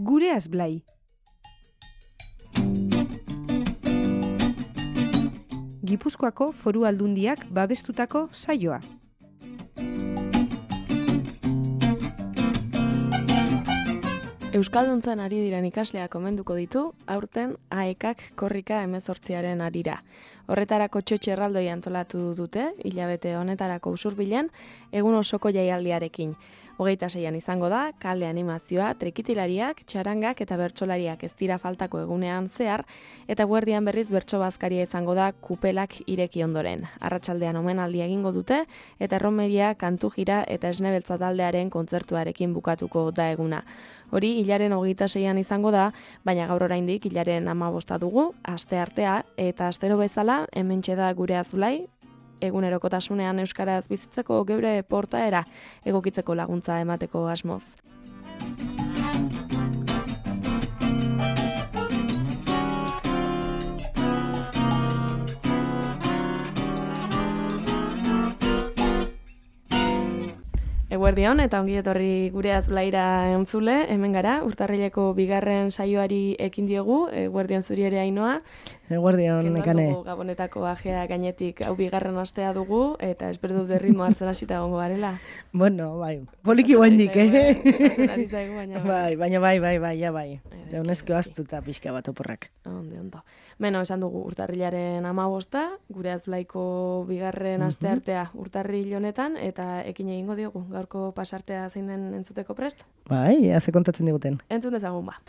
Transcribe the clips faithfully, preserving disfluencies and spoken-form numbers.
Gureaz Blai. Gipuzkoako Foru Aldundiak babestutako saioa. Euskalduntzan ari diren ikasleak omenduko ditu, aurten aekak korrika hemezortziaren arira. Horretarako txotxe erraldoi antolatu dute, hilabete honetarako usurbilen, egun osoko jaialdiarekin. Hogeita seian izango da, kale animazioa, trikitilariak, txarangak eta bertsolariak ez dira faltako egunean zehar, eta guerdian berriz bertso bazkaria izango da kupelak ireki ondoren. Arratsaldean omenaldia egingo dute, eta erromeria, kantu jira eta esnebeltza taldearen kontzertuarekin bukatuko da eguna. Hori hilaren hogeita seian izango da, baina gaur oraindik hilaren hamabosta dugu, aste artea, eta astero bezala, hementxe da Gureaz Blai, egunerokotasunean euskaraz bizitzeko geure portaera egokitzeko laguntza emateko asmoz. Eguerdion eta ongi etorri Gureaz Blaira entzule, hemen gara, urtarrileko bigarren saioari ekin diegu, eguerdion zuri ere Ainoa. Eguerdion, Nekane. Dugu Gabonetako ajea gainetik hau bigarren astea dugu, eta espero dut ritmo hartzen hasita egongo garela. Bueno, bai, poliki guendik, eh? Bai, baina bai, bai, bai, ja bai. Jaunezko aztuta pixka bat oporrak. Ondo, ondo. Beno, esan dugu urtarrilaren hamabosta, Gureaz Blaiko bigarren aste artea urtarril honetan, eta ekin egingo diogu, gaurko pasartea zein den entzuteko prest? Bai, haze kontatzen diguten. Entzun dezagun ba.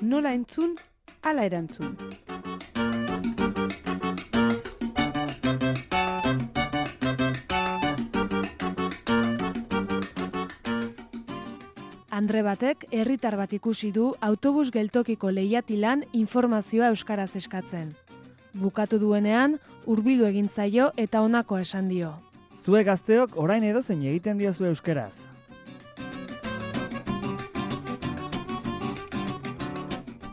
Nola entzun, ala erantzun. Andre batek herritar bat ikusi du autobus geltokiko lehiatilan informazioa euskaraz eskatzen. Bukatu duenean, hurbildu egin zaio eta honako esan dio. Zuek gazteok orain edozein egiten diozu euskaraz.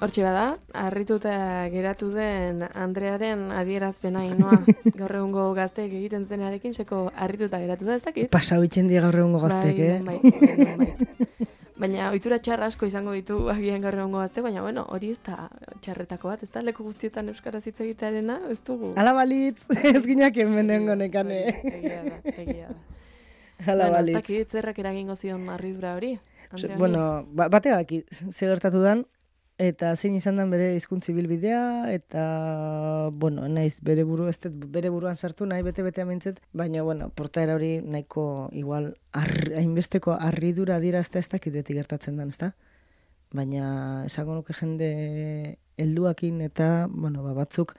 Hortxe bada, harrituta geratu den Andrearen adierazpena Ainoa. Gaur egungo gazteek egiten dutenarekin seko harrituta geratu da, ez dakit? Pasau itzen di gaur egungo gazteek, eh? Bai, bai, bai. Baina ohitura txarra asko izango ditu agian gaur egungo gazte, baina bueno, hori ez da txarretako bat, ez da leku guztietan euskaraz hitz egitearena, ez dugu. Ala balitz, ez ginak hemenengo Nekane. Egia da, egia da. Ala bueno, balitz. Ez dakit zerrak eragingo zion harridura hori. Andrea, Bueno, ba, batea daki, ze gertatu dan, eta zein izan dan bere hizkuntza ibilbidea, eta, bueno, naiz bere buru, ez dut bere buruan sartu, nahi bete-bete amintzet, baina, bueno, portaera hori nahiko, igual, ar, hainbesteko harridura adieraztea ez dakit beti gertatzen dan, ezta? Baina, esango nuke jende helduakin eta, bueno, ba, batzuk,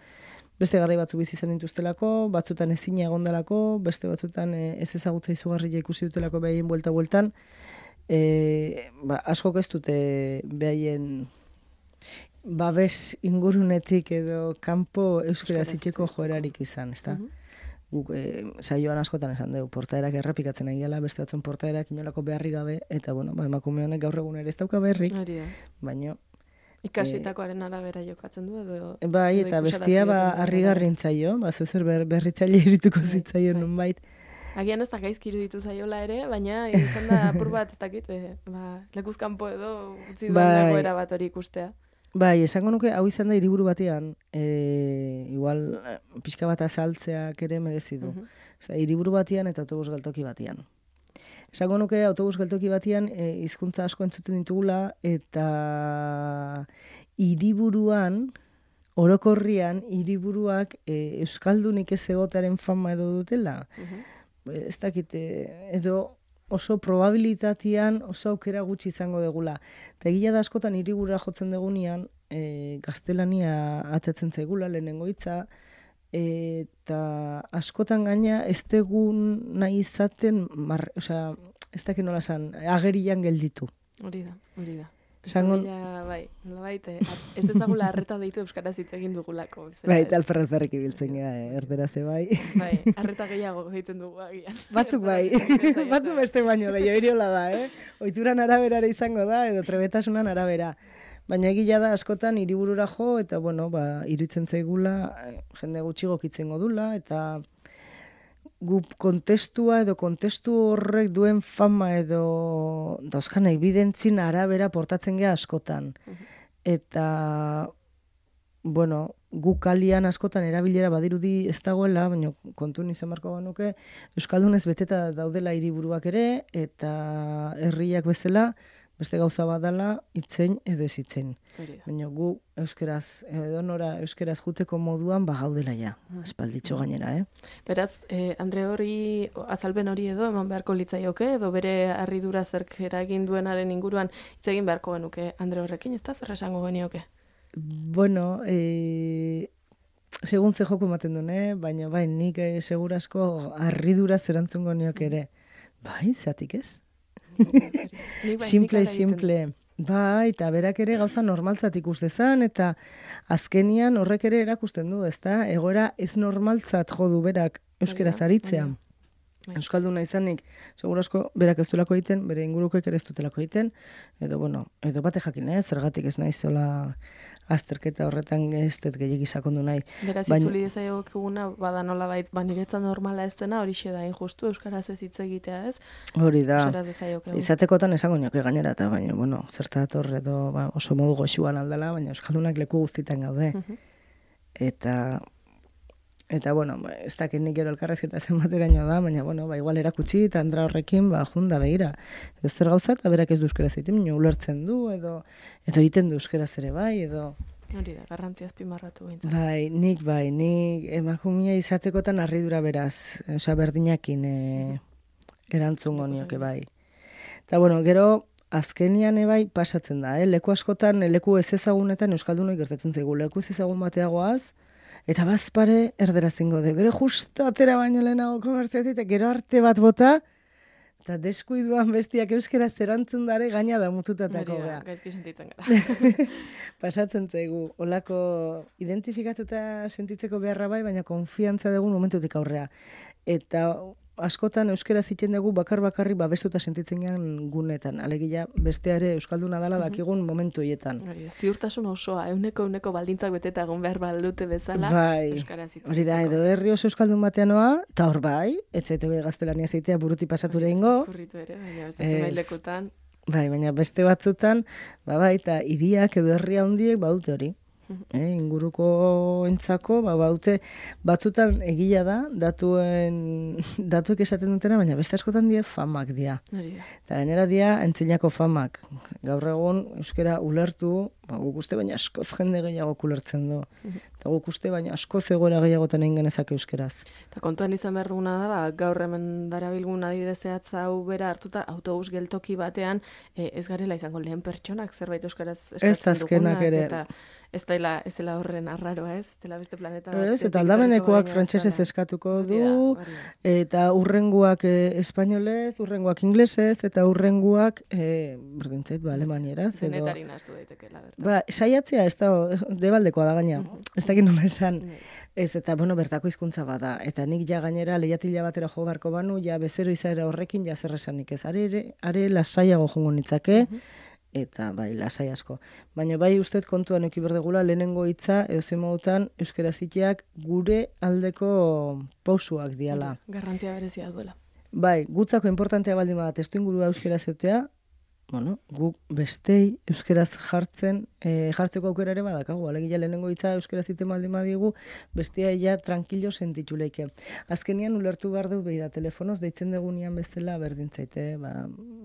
beste garrai batzuk bizi izan dituztelako, batzutan ezina egondalako, beste batzutan ez ezagutza izugarria ikusi dutelako behaien buelta-bueltan, e, ba, askok ez dute behaien babes ingurunetik edo kanpo euskara zitzeko joerarik izan, ezta? Guk e, saioan askotan esan dugu, portaerak errepikatzen egiala, beste batzuen portaerak inolako beharri gabe, eta bueno, ba, emakume honek gaur egun ere ez dauka beharrik, baina ikasitakoaren arabera jokatzen du edo... Bai, edo eta ikusarazi bestia ba, egiten du. harrigarri zaio, ba, zuzer ber, berritzaile irituko Bai, zitzaio bai. nonbait. Agian ez da gaizki iruditu zaiola ere, baina izan da apur bat ez dakit, eh, ba, lekuzkanpo edo utzi duen Bai. egoera bat hori ikustea. Bai, esango nuke, hau izan da hiriburu batean, e, igual, eh, pixka bat azaltzeak ere merezi du. Mhm. Osea, hiriburu batean eta autobus geltoki batean. Esango nuke, autobus geltoki batean e, hizkuntza asko entzuten ditugula, eta hiriburuan, orokorrian, hiriburuak e, euskaldunik ez egotearen fama edo dutela. Mhm. Ez dakit, e, edo oso probabilitatean oso aukera gutxi izango degula. Eta egia da askotan hiribura jotzen degunean, e, gaztelania atatzen zaigula lehenengo hitza, eta askotan gaina ez degun nahi izaten, mar, osea, ez dakit nola esan, agerian gelditu. Hori da, hori da. Esango- Bila, bai, nolabait, eh, ez ezagula arreta deitu euskaraz hitz egin dugulako. bezala, Bai, ez? eta alfer alferrik ibiltzen gara, eh, erdera ze bai. Bai, arreta gehiago egiten dugu agian. Batzuk bai, batzuk beste baino gehiago iriola da, eh? Oituran araberara izango da, edo trebetasunan arabera. Baina egia da askotan hiriburura jo, eta bueno, ba, iruditzen zaigula, eh, jende gutxi gokitzen godula, eta gu kontestua edo kontestu horrek duen fama edo dauzkan evidentzin arabera portatzen gea askotan. Eta, bueno, gu kalian askotan erabilera badirudi ez dagoela, baina kontun izan barko genuke, Euskaldunez beteta daudela hiriburuak ere, eta herriak bezala, beste gauza badala, itzein edo ez itzein. Baina gu euskeraz, edo nora euskeraz juteko moduan bagaudela ja, espalditxo gainera, eh? Beraz, eh, Andre hori, azalben hori edo, eman beharko litzaioke, edo bere harridura zerk eragin duenaren inguruan hitz egin beharko genuke Andre horrekin, ez da zer esango genioke? Bueno, e, segun ze joko ematen duen, eh? Baina bai, nik e, segurasko harridura zerantzungo nioke ere. Bai, zatik ez? Simple, simple. Bai, eta berak ere gauza normaltzat ikus dezan, eta azkenian horrek ere erakusten du, ezta? Egoera ez normaltzat jo du berak euskeraz aritzea. Euskalduna izanik, segurasko berak ez duelako egiten, bere ingurukoek ere ez dutelako egiten, edo, bueno, edo bate jakin, eh? Zergatik ez naiz zola azterketa horretan ez dut gehiagi sakondu nahi. Beraz, itzuli dezaioguna, bada nola bait, ba, niretzat normala ez dena, hori da injustu, euskaraz ez hitz egitea ez? Hori da, izatekotan esango nioke gainera, eta baina, bueno, zertator edo ba, oso modu goxuan aldala, baina euskaldunak leku guztitan gaude. Eta... Eta, bueno, ez dakit nik gero elkarrezketa zenbateraino da, baina, bueno, ba, igual erakutsi, eta Andra horrekin, ba, junda, begira. Edo zer gauza, eta berak ez du euskeraz egiten, baina ulertzen du, edo edo egiten du euskeraz ere bai, edo... Hori da, garrantzia azpimarratu behintzat. Bai, nik bai, nik emakumia izatekotan harridura beraz, osea, berdinakin e, erantzungo nioke bai. Eta, bueno, gero, azkenian ebai pasatzen da, eh? Leku askotan, leku ez ezagunetan euskaldunoi gertatzen zaigu, leku ez ezagun bateagoaz, eta bazpare erdera zingo de. Gero justo atera baino lehenago komertziatik, eta gero arte bat bota, eta deskuiduan bestiak euskera zerantzun dare gaina da mututatako gara. Gaizki sentitzen gara. Pasatzen zaigu, olako identifikatuta sentitzeko beharra bai, baina konfiantza dugu momentutik aurrea. Eta askotan euskera ziten dugu bakar-bakarri babestuta sentitzen gean gunetan. Alegia besteare euskalduna dala dakigun momentu hietan. Ziurtasun osoa, euneko euneko baldintzak beteta egon behar baldute bezala, bai, euskara zitzen. Hori da, edo herri oso euskaldun bateanoa, eta hor bai, etzaitu gaztelania zeitea buruti pasatu lehingo. Kurritu ere, baina beste zenbait lekutan. Bai, baina beste batzutan, ba bai, eta hiriak edo herria handiek badute hori. Eh, inguruko entzako, ba, baute, batzutan egila da, datuen, datuek esaten dutena, baina beste askotan die famak dia. Eta gainera dia, entzinako famak. Gaur egun, euskera ulertu, ba, guk uste baina askoz jende gehiago ulertzen du. Eta guk uste baina askoz egoera gehiagoten egin genezake euskeraz. Eta kontuan izan behar duguna da, ba, gaur hemen darabilgun adibidez zehatza hau bera hartuta, autobus geltoki batean, e, ez garela izango lehen pertsonak zerbait euskaraz eskatzen dugunak. Eta ez dela, ez dela horren arraroa, ez? Ez dela beste planeta bat. Ez, eta aldamenekoak frantsesez eskatuko du, eta urrenguak e, espainolez, urrenguak inglesez, eta urrenguak, e, berdintzait, ba, alemanieraz. Denetari nahastu daitekeela, bertan. Ba, saiatzea ez da, debaldekoa da gaina. Ez dakit nola esan. Ez, eta, bueno, bertako hizkuntza bada. Eta nik ja gainera lehiatila batera jo beharko banu, ja bezero izaera horrekin ja zer esanik ez. Are, are lasaiago jongo nitzake, eta bai, lasai asko. Baina bai ustet kontuan eki berdegula, lehenengo hitza, edo zemogutan, euskera ziteak gure aldeko pausuak diala. Garrantzia berezia duela. Bai, gutzako importantea baldin bada testu ingurua euskera zeutea, bueno, guk bestei euskeraz jartzen, e, jartzeko aukera ere badakagu. Alegia lehenengo hitza euskera ziten baldin badigu, bestea ja tranquilo sentitu leike. Azkenian ulertu behar du behi da, telefonoz deitzen degunian bezala berdintzaite, ba,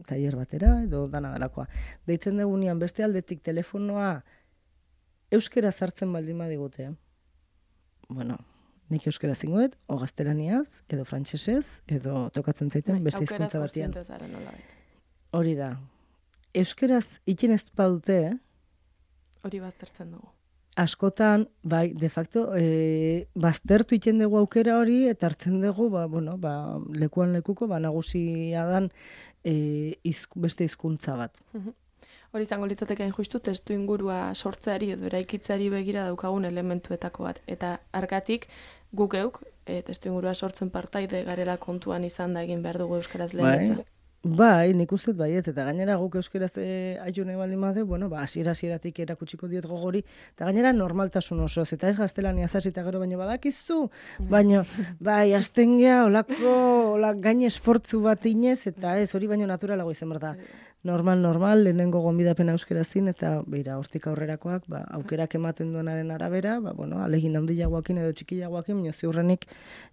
tailer batera edo dana dalakoa. Deitzen degunian beste aldetik telefonoa euskera zartzen baldin badigute. Bueno, nik euskera zingoet, o gaztelaniaz, edo frantsesez, edo tokatzen zaiten beste hizkuntza batean. Hori da. Euskeraz ikin ez badute, eh? Hori baztertzen dugu. Askotan, bai, de facto, e, baztertu iten dugu aukera hori, eta hartzen dugu, ba, bueno, ba, lekuan lekuko, ba, nagusia dan e, izk, beste hizkuntza bat. Hori izango litzateke justu testu ingurua sortzeari edo eraikitzeari begira daukagun elementuetako bat. Eta argatik, guk euk, e, testu ingurua sortzen partaide garela kontuan izan da egin behar dugu euskaraz lehenetza. Bai. Bai, nik uste baiet, eta gainera guk euskeraz e, aiune baldin badu, bueno, ba, hasiera hasieratik erakutsiko diot gogori, eta gainera normaltasun osoz, eta ez gaztelania zasita gero baino badakizu, baino, bai, azten gea, olako, olak gain esfortzu bat inez, eta ez, hori baino naturalago izan behar da. Normal, normal, lehenengo gonbidapena euskerazin, eta beira, hortik aurrerakoak, ba, aukerak ematen duenaren arabera, ba, bueno, alegin handiagoakin edo txikiagoakin, baina ziurrenik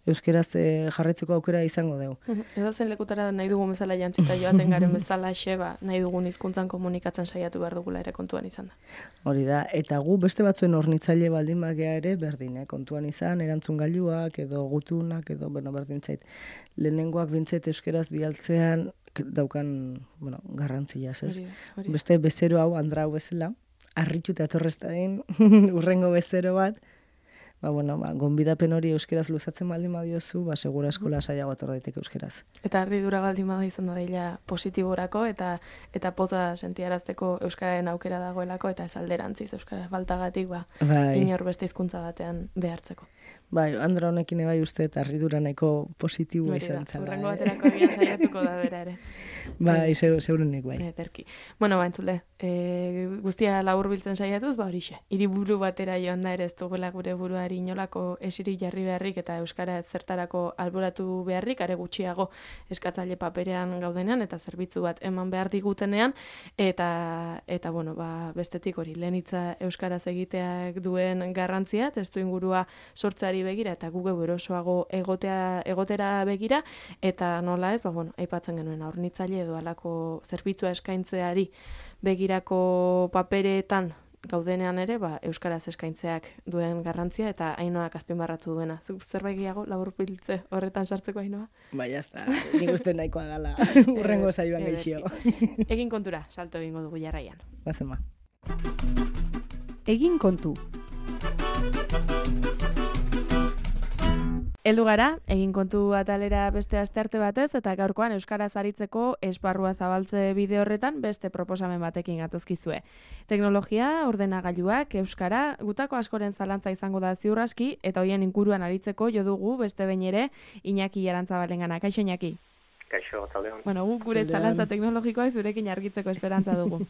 euskeraz e, jarraitzeko aukera izango dugu. Edo zen lekutara nahi dugun bezala jantzita joaten garen bezala xeba, nahi dugun hizkuntzan komunikatzen saiatu behar dugula ere kontuan izan da. Hori da, eta gu beste batzuen hornitzaile baldin bagea ere berdin, eh? Kontuan izan, erantzun gailuak edo gutunak edo, bueno, berdin zait. Lehenengoak bintzait euskeraz bialtzean daukan, bueno, garrantzia, ez? Beste bezero hau, andra hau bezala, harritu eta torreztain, urrengo bezero bat, ba, bueno, ba, gonbidapen hori euskeraz luzatzen baldin badiozu, ba, segura eskola saiago ator daiteke euskeraz. Eta harridura baldin bada izan da dela positiborako eta eta poza sentiarazteko euskararen aukera dagoelako eta ez alderantziz euskara faltagatik ba, bai. Inor beste hizkuntza batean behartzeko. Bai, Andra honekin bai uste eta harridura nahiko positibo izan zala. Urrengo baterako egian saiatuko da bera ere. Bai, segurunik bai. Ederki. Bueno, ba, entzule, e, guztia labur biltzen saiatuz, ba horixe. Hiriburu batera joan da ere ez dugula gure buruari inolako esirik jarri beharrik eta euskara zertarako alboratu beharrik, are gutxiago eskatzaile paperean gaudenean eta zerbitzu bat eman behar digutenean, eta, eta bueno, ba, bestetik hori, lehenitza euskaraz egiteak duen garrantzia, testu ingurua sortzeari begira eta gu geu erosoago egotea, egotera begira, eta nola ez, ba, bueno, aipatzen genuen hornitzaile edo alako zerbitzua eskaintzeari begirako paperetan gaudenean ere, ba, euskaraz eskaintzeak duen garrantzia eta Ainoak azpimarratu duena. Zuk zerbait gehiago laburbiltze horretan sartzeko Ainoa? Bai, jazta, nik uste nahikoa dala urrengo saioan gaixo. Egin kontura, salto egingo dugu jarraian. Bazema. Egin kontu. Heldu gara, egin kontu atalera beste astearte batez, eta gaurkoan euskaraz aritzeko esparrua zabaltze bide horretan beste proposamen batekin gatozkizue. Teknologia, ordenagailuak, euskara, gutako askoren zalantza izango da ziur aski, eta hoien inguruan aritzeko jo dugu beste behin ere Iñaki Arantzabalengana. Kaixo Iñaki? Kaixo, taldeon. Bueno, gu gure zalantza teknologikoa zurekin argitzeko esperantza dugu.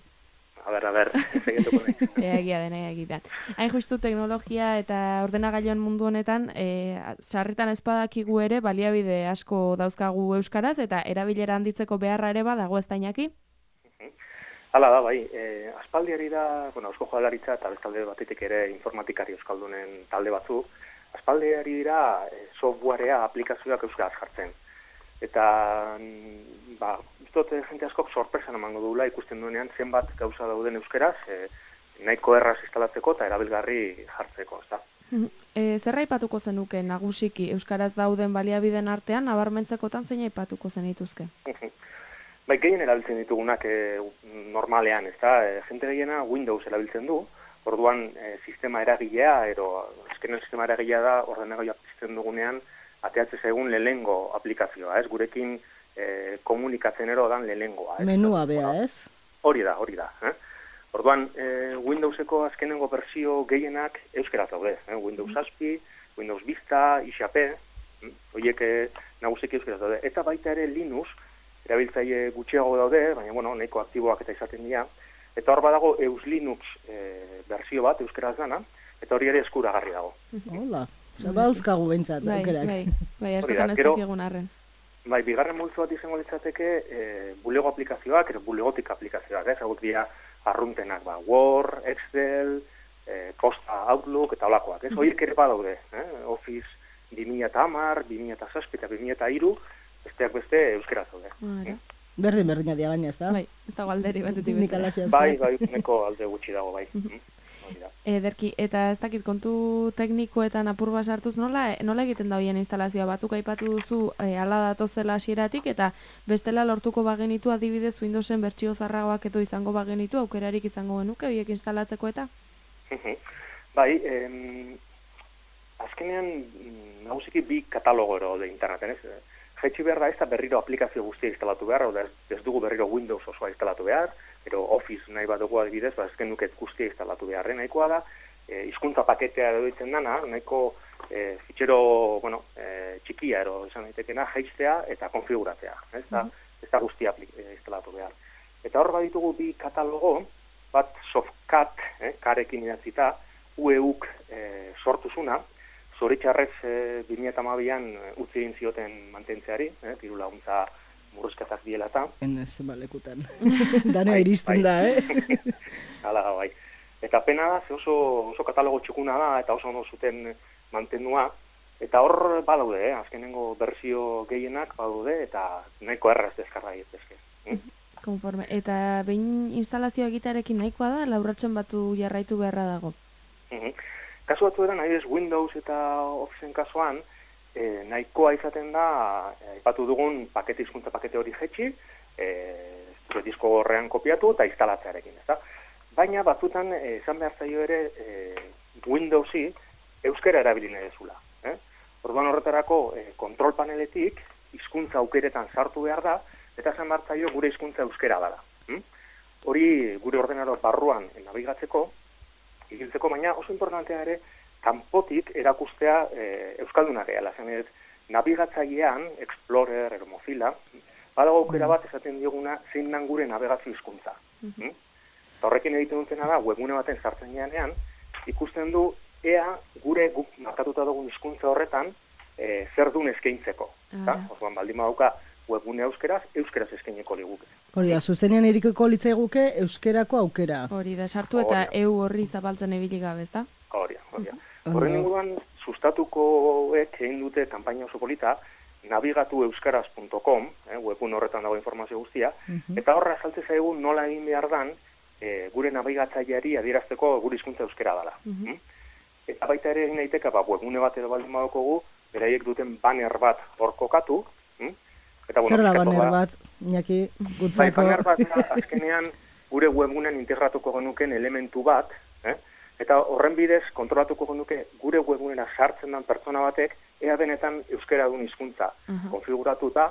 A ber, a ber, segetuko nahi. Egia den, egitan. Hain justu teknologia eta ordenagailuan mundu honetan, e, sarritan ezpadakigu ere baliabide asko dauzkagu euskaraz, eta erabilera handitzeko beharra ere badago ez da Iñaki? Hala da, bai. E, aspaldiari da, bueno, Eusko Jaurlaritza eta bestalde batetik ere informatikari euskaldunen talde batzu, aspaldiari dira e, softwarea, aplikazioak euskaraz jartzen. Eta, ba, dut jente askok sorpresan emango dugula ikusten duenean zenbat gauza dauden euskeraz, e, nahiko erraz instalatzeko eta erabilgarri jartzeko, ezta? E, zer aipatuko zenuke nagusiki euskaraz dauden baliabideen artean, nabarmentzekotan zein aipatuko zenituzke? Bai, gehien erabiltzen ditugunak e, normalean, ezta? E, jente gehiena Windows erabiltzen du, orduan e, sistema eragilea, ero azkenen sistema eragilea da ordenagailuak pizten dugunean ateatzen zaigun lehengo aplikazioa, ez? Gurekin E, komunikatzen ero dan lehengoa. Menua bea, ez? Hori da, hori da. Eh? Orduan, e, Windowseko azkenengo bersio gehienak euskeraz daude. Eh? Windows zazpi, Windows Vista, X P, hm? Horiek eh, nagusiki euskeraz daude. Eta baita ere Linux, erabiltzaile gutxiago daude, baina bueno, nahiko aktiboak eta izaten dira. Eta hor badago Eus Linux e, bersio bat euskeraz dana, eta hori ere eskuragarri dago. Hola, zabauzkagu behintzat, bai, aukerak. Bai, bai, askotan ez dakigun arren. Bai, bigarren multzo bat izango litzateke e, bulego aplikazioak, edo bulegotik aplikazioak, ez? Hauek dira arruntenak, ba, Word, Excel, e, Costa, Outlook eta holakoak, ez? Horiek ere badaude, eh? Office bi mila hamar, bi mila zazpi eta bi mila hiru, besteak beste euskeraz daude. Vale. Berdin berdina dia gaina, ez da? Bai, eta galderi batetik beste. Bai, bai, neko alde gutxi dago, bai. Ederki, eta ez dakit kontu teknikoetan apur bat sartuz nola, nola egiten da hoien instalazioa batzuk aipatu duzu e, ala datozela hasieratik eta bestela lortuko bagenitu adibidez Windowsen bertsio zarragoak edo izango bagenitu aukerarik izango genuke horiek instalatzeko eta? Bai, em, azkenean nagusiki bi katalogo ero de interneten, ez? Jaitsi behar da ez da berriro aplikazio guztia instalatu behar, oda ez, ez dugu berriro Windows osoa instalatu behar, ero Office nahi bat dugu adibidez, ba ezken nuket guztia instalatu beharren, nahikoa da, e, hizkuntza paketea edoitzen dana, nahiko e, fitxero, bueno, e, txikia ero izan daitekena, jaistea eta konfiguratzea. Ez da, ez da guztia instalatu behar. Eta hor baditugu bi katalogo, bat Softcat, eh, karekin idatzita, U E U-k eh, sortuzuna, zoritxarrez eh, bi mila hamabian utzi egin zioten mantentzeari, eh, diru laguntza murrizketak diela eta. Enez, balekutan. Dana iristen da, eh? Hala, bai. Eta pena da, ze oso, oso katalogo txukuna da, eta oso ondo zuten mantendua, eta hor badaude, eh? Azkenengo berzio gehienak badaude, eta nahiko erraz deskarra egitezke. Hm? Konforme. Eta behin instalazio egitearekin nahikoa da, laurratzen batzu jarraitu beharra dago? Mhm. Kasu batzu eran, adibidez Windows eta Officeen kasuan, eh, nahikoa izaten da, aipatu dugun pakete hizkuntza pakete hori jetxi, eh, zure disko gorrean kopiatu eta instalatzearekin, ezta? Baina batzutan eh, esan behar zaio ere eh, Windowsi euskera erabili nahi dezula. Eh? Orduan horretarako eh, kontrol paneletik hizkuntza aukeretan sartu behar da, eta esan behar zaio gure hizkuntza euskera dela. Hm? Hori gure ordenador barruan nabigatzeko, ibiltzeko, baina oso importantea ere, kanpotik erakustea e, euskaldunak gehala. Zen ez, nabigatzailean, Explorer, edo Mozilla, badago aukera bat esaten dioguna zein dan gure nabigazio hizkuntza. Hm? Eta horrekin egiten dutena da, webgune baten sartzen janean, ikusten du ea gure guk markatuta dugun hizkuntza horretan e, zer duen eskaintzeko. Ah. Orduan baldin badauka webgune euskeraz, euskeraz eskaineko liguke. Hori da, zuzenean erikoko litzaiguke euskerako aukera. Hori da, sartu eta eu horri zabaltzen ibili gabe, ezta? Hori da, hori da. Horren inguruan, sustatukoek egin dute kanpaina oso polita, nabigatu euskaraz puntu com, eh, webun horretan dago informazio guztia, uh-huh. Eta horra saltze zaigu nola egin behar dan, eh, gure nabigatzaileari adierazteko gure hizkuntza euskera dela. Uh-huh. Mm? Eta baita ere egin daiteke, ba, webune bat edo baldin badokogu, beraiek duten banner bat hor kokatu, hm? Eta, bueno, zer da banner bat, Iñaki, gutzako? Bai, banner bat da, azkenean gure webgunean integratuko genuken elementu bat, eh? Eta horren bidez kontrolatuko genuke gure webgunera sartzen den pertsona batek ea benetan euskera duen hizkuntza uh-huh. konfiguratuta,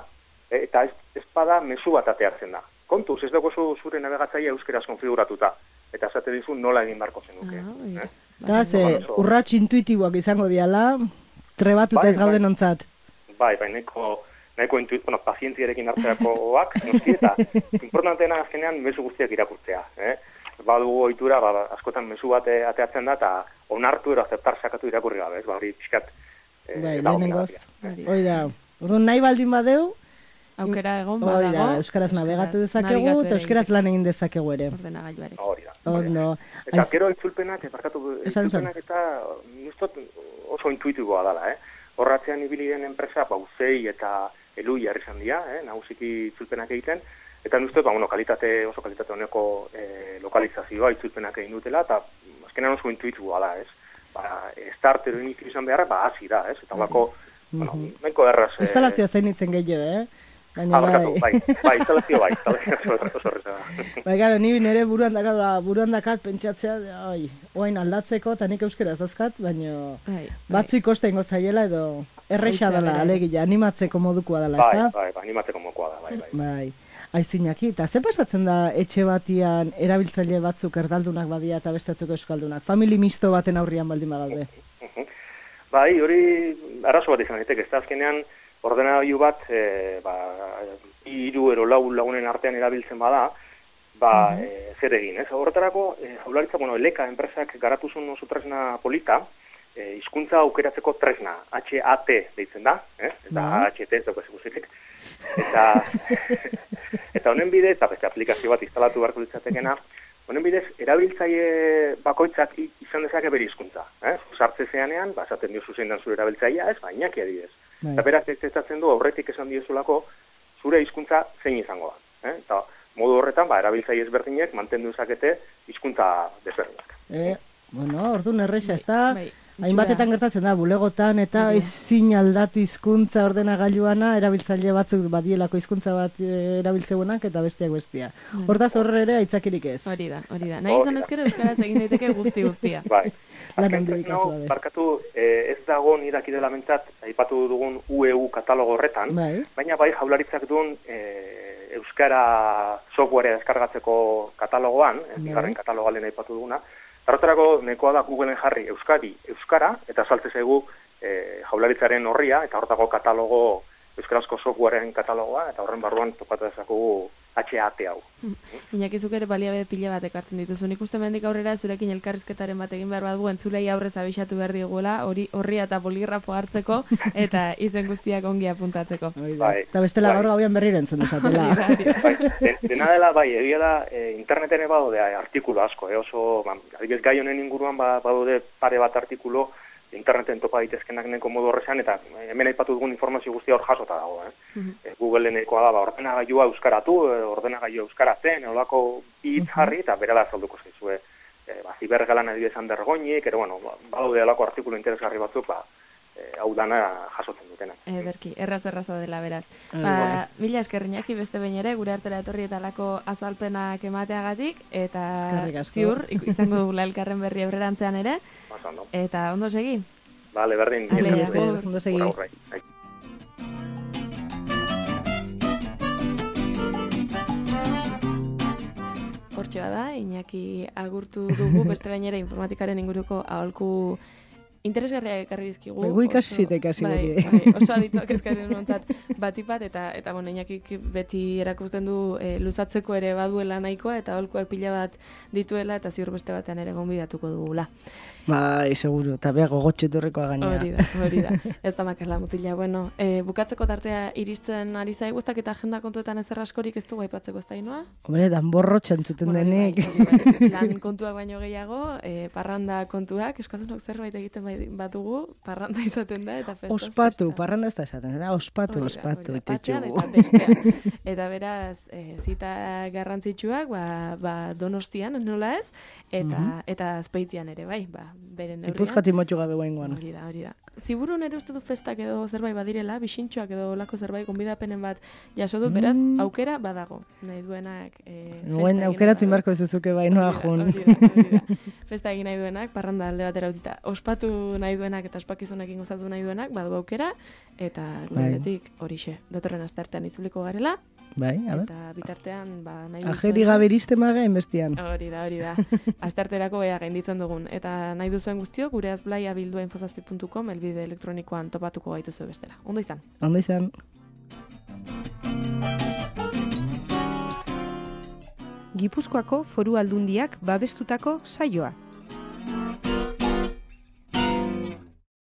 eh? Eta ez, ez bada mezu bat ateatzen da. Kontuz, ez dago zure nabigatzailea euskeraz konfiguratuta, eta esate dizu nola egin barko zenuke. Uh-huh. Eh? Da, ze, urrats intuitiboak izango diala, trebatuta bai, ez gauden bai. Ontzat. Bai, bai, neko... nahiko intuit, bueno, pazientziarekin hartzerakoak, noski, eta importanteena azkenean mezu guztiak irakurtzea. Eh? Badugu ohitura, ba, askotan mezu bat ateatzen da, eta onartu ero azeptar sakatu irakurri gabe, ez? Ba, hori pixkat... Eh, bai, lehenengoz. Hoi da, orduan nahi baldin badeu, aukera egon badago. Hori da, euskaraz nabegatu dezakegu, eta euskaraz lan egin dezakegu ere. Ordenagailuarekin. Hori da. Ondo. Eta gero itzulpenak, barkatu, itzulpenak eta nustot oso intuitiboa dela, eh? Horratzean ibili den enpresa, pauzei eta elu jarri izan dira, eh, nagusiki itzulpenak egiten, eta nuzte, ba, bueno, kalitate, oso kalitate honeko eh, lokalizazioa itzulpenak egin dutela, eta azkenean oso intuitiboa da, ez? Ba, start edo iniziu izan beharra, ba, hasi da, ez? Eta bako, mm-hmm. bueno, nahiko erraz... Eh... Instalazioa zainitzen gehiago, eh? Baina, ah, bai, bai, bai, instalazio bai, instalazio oso horreza da. Bai, gara, ni nire buruan dakat, buruan dakat pentsatzea, oi, oain aldatzeko, eta nik euskeraz dauzkat, baina bai, batzu ikosta ingo zaiela edo erresa dela, alegia, animatzeko modukoa dela, ezta? Bai, bai, animatzeko modukoa da, bai, bai. Bai, aizu Iñaki, eta ze pasatzen da etxe batian erabiltzaile batzuk erdaldunak badia eta bestatzeko euskaldunak? Famili misto baten aurrian baldin bagaude? Bai, hori arazo bat izan daiteke, ez da azkenean, ordenagailu bat, e, ba, hiru ero lau lagunen artean erabiltzen bada, ba, uh-huh. e, zer egin, ez? Horretarako, e, Jaurlaritza, bueno, Eleka enpresak garatu zuen oso tresna polita, e, hizkuntza aukeratzeko tresna, H A T deitzen da, eh? Eta uh-huh. H T ez dago ezikusitek. Eta, eta honen bidez, eta beste aplikazio bat instalatu beharko litzatekena, honen bidez, erabiltzaile bakoitzak izan dezake bere hizkuntza. Eh? Sartze zeanean, ba, esaten dio zuzen dan zure erabiltzailea, ez, ba, Iñaki adibidez. Eta beraz, ez ezatzen du, aurretik esan diozulako, zure hizkuntza zein izango da. Eh? Eta modu horretan, ba, erabiltzaile ezberdinek mantendu dezakete hizkuntza desberdinak. Eh, bueno, orduan erresa, ez da, hainbatetan gertatzen da, bulegotan eta ezin aldatu hizkuntza ordenagailuana, erabiltzaile batzuk badielako hizkuntza bat erabiltzeunak eta besteak bestia. Hortaz horre ere aitzakirik ez. Hori da, hori da. Nahi izan ezkero euskaraz egin daiteke guzti guztia. Bai. Barkatu, ez dago niraki dela mentzat, aipatu dugun U E U katalogo horretan, baina bai Jaurlaritzak duen euskara softwarea deskargatzeko katalogoan, bigarren katalogalen aipatu duguna. Horretarako nekoa da Googleen jarri Euskadi, Euskara, eta saltze zaigu e, Jaurlaritzaren horria, eta horretako katalogo euskarazko softwaren katalogoa, eta horren barruan topatu dezakugu H A T hau. Iñaki, zuk ere baliabide pila bat ekartzen dituzu. Nik uste mendik aurrera zurekin elkarrizketaren bat egin behar bat du, entzulei aurrez abixatu behar diguela, hori horria eta poligrafo hartzeko, eta izen guztiak ongi apuntatzeko. Bai. Eta bestela gaur gauian berriro entzun dezatela. Bai, den, dena dela, bai, egia da, e, interneten badaude artikulu asko, e, oso, ba, adibidez gai honen inguruan ba, badaude pare bat artikulu, interneten topa daitezkenak neko modu horrezean, eta hemen aipatu dugun informazio guztia hor jasota dago. Eh? Uh-huh. e, Google-enekoa da, ba, ordenagailua euskaratu, ordenagailua euskaratzen, olako hitz jarri, eta berala azalduko zaizue. E, ba, zibergalan adibidez andergoinik, ero, bueno, badaude olako artikulu interesgarri batzuk, ba, e, hau dana jasotzen dutena. Ederki, erraz erraza dela beraz. Ba, mila eskerriñaki beste behin ere, gure artera etorri eta lako azalpenak emateagatik, eta ziur, izango dugula elkarren berri aurrerantzean ere, eta ondo segi? Vale, berdin. Ondo segi. Hortxe bada, Iñaki agurtu dugu, beste behin ere informatikaren inguruko aholku interesgarriak ekarri dizkigu. Begu ikasite ikasi bai, bai, oso adituak ezkarri nontzat batipat, eta, eta bueno, Iñakik beti erakusten du e, luzatzeko ere baduela nahikoa, eta aholkuak pila bat dituela, eta ziur beste batean ere gonbidatuko dugula. Bai, seguru, eta beha gogotxe torrekoa gainera. Hori da, hori da. Ez da makarla mutila. Bueno, e, bukatzeko tartea iristen ari zaiguztak eta agenda kontuetan ezer askorik ez dugu aipatzeko ez da inoa? Hombre, danborro txantzuten bueno, denik. Bai, bai, lan kontuak baino gehiago, e, parranda kontuak, euskaldunok zerbait egiten batugu, parranda izaten da, eta festa. Ospatu, festa. Parranda ez da esaten, da, ospatu, hori, ospatu. Hori, eta bestean. Eta beraz, e, zita garrantzitsuak, ba, ba donostian, nola ez, eta, uh-huh. eta azpeitian ere, bai, ba, beren neurrian. Ipuzkati motxu gabe guaingoan. Hori da, hori da. Ziburu nere uste du festak edo zerbait badirela, bisintxoak edo lako zerbait gonbidapenen bat jaso dut, beraz, mm. aukera badago. Nahi duenak e, festa Nuen, aukeratu inbarko ezuzuke bai noa jun. Hori da, hori da. Festa egin nahi duenak, parranda alde batera utzita. Ospatu nahi duenak eta ospakizunekin gozatu nahi duenak, badu aukera, eta guretik horixe. Datorren asteartean itzuliko garela. Bai, a ber. Eta bitartean, ba, nahi duzu. Ajeri gabe iriste maga enbestian. Hori da, hori da. Astearterako bea gainditzen dugun. Eta nahi duzuen guztiok, gure azblaia bildua infozazpi puntu com, elbide elektronikoan topatuko gaituzu bestela. Ondo izan. Ondo izan. Gipuzkoako Foru Aldundiak babestutako saioa.